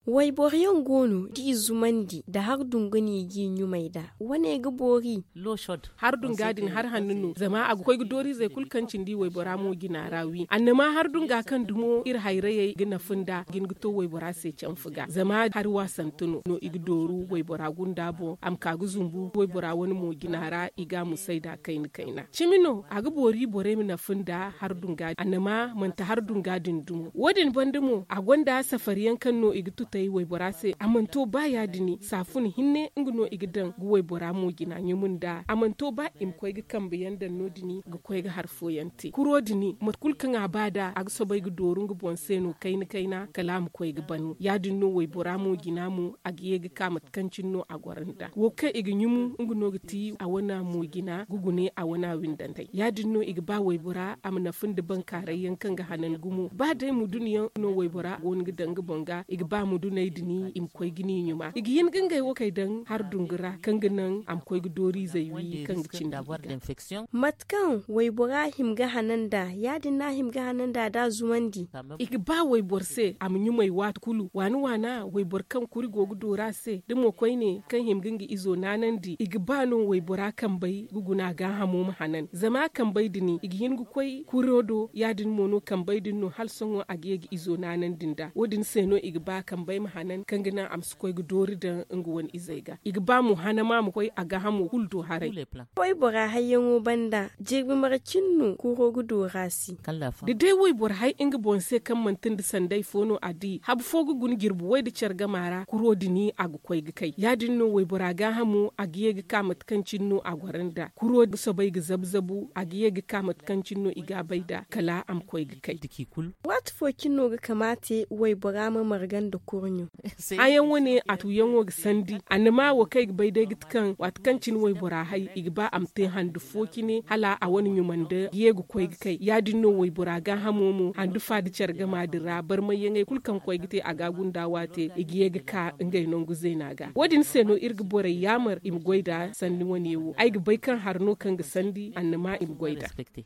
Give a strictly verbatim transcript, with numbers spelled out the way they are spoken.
Wayboro yaŋ go no da i zumandi nda har dungu no i g'i ɲumay nd'a. Wane ga boori. Har dunga din har hanno no zama a ga koy ga dooriizey kulu kaŋ cindi waybora mo jina ra wi annama har dunga kaŋ dumo iri hayrayey ga nafa nd'a ga hin ga to waybora se canfa ga zama hari waasante no no i ga dooru waybora gunda boŋ a ma ka ga zumbu waybora wane mo jina ra i ga a musay nd'a kayna kayna cimi no a ga boori borey ma nafa nd'a har dunga din annama manti har dunga din dumo wo- din banda mo a gonda safari yaŋ kaŋ no i ga tutay waybora se a mana to ba ya- din saafun hinne nga no i ga daŋ ga waybora mo jina ɲumu nd'a a mana to ba i ma koy ga kambe yaŋ daŋ no- din ga koy ga hari fooyaŋ te kuro din mate kulu kaŋ a ba nd'a a ga soobay ga dooru nga boŋ se no kayna kayna kala a ma koy ga ban ya- din no waybora mo jina mo a ga ye ga ka mate kaŋ cine no a goro nd'a wo kaŋ i ga ɲumu nga no ga ti a wane mo jina ga gune a wane windantey ya- din no i ga ba waybora a ma nafa nda bankaaray yaŋ kaŋ ga hanan gumo ba day mudun yaŋ no waybora go no ga daŋ nga boŋ ga i ga ba muduney din i ma koy ga ni ɲuma i ga hin ga ngey wo kay daŋ har dungu ra kaŋ ga naŋ a ma koy ga dooriizey wi kaŋ ga cindi mate kaŋ waybora hima ga hanan nd'a ya- din no a hima ga hanan nd'a da a zumandi i ga ba wayboro se a ma ɲumay waati kulu waana waana wayboro kaŋ kuri go ga dooru a se da mo koyne kaŋ hima ga nga izo naanandi i ga ba no waybora kambey ga guna gaahamo ma hanan zama kambey din i ga hin ga koy kuro do ya- din mo no kambey din no hala sohõ a ga ye ga izo naanandi nd'a wo- din se no i ga ba kambey ma hanan kaŋ ga naŋ a ma si koy ga doori daŋ nga wane izey ga i ga ba mo hanama ma koy a gaahamo kulu do haray waybora hayyaŋo banda jirbi mara cine no kuro ga dooru a se da day wayboro hay nga boŋ se kaŋ manti nda sanday fo no a di habu fo ga guna jirbi way nda care gama ra kuro din a ga koy ga kay ya- din no waybora gaahamo a ga ye ga ka mate kaŋ cine no a goro nd'a kuro ga soobay ga zabu zabu a ga ye ga ka mate kaŋ cine no i ga a bay nd'a kala a ma koy ga kay waati fo cine no ga kamaate waybora ma marga nda kurɲo hãyaŋ wane a tuuyaŋo ga sandi annama wo kaŋ ay ga bay day ga ti kaŋ waati kaŋ cine waybora hay i ga ba a ma te handu fo cine hala a wane ɲumandi ga ye ga koy ga kay ya- din no waybora gaahamo mo handu fa nda care gama din ra barmayyaŋey kulu kaŋ koy ga te a ga a gunda waate i ga ye ga ka ngey nangu zeena ga wo- din se no iri ga borey yaamar i ma goy nd'a sanni wane wo ay ga bay kaŋ hari no kaŋ ga sandi annama i ma goy nd'a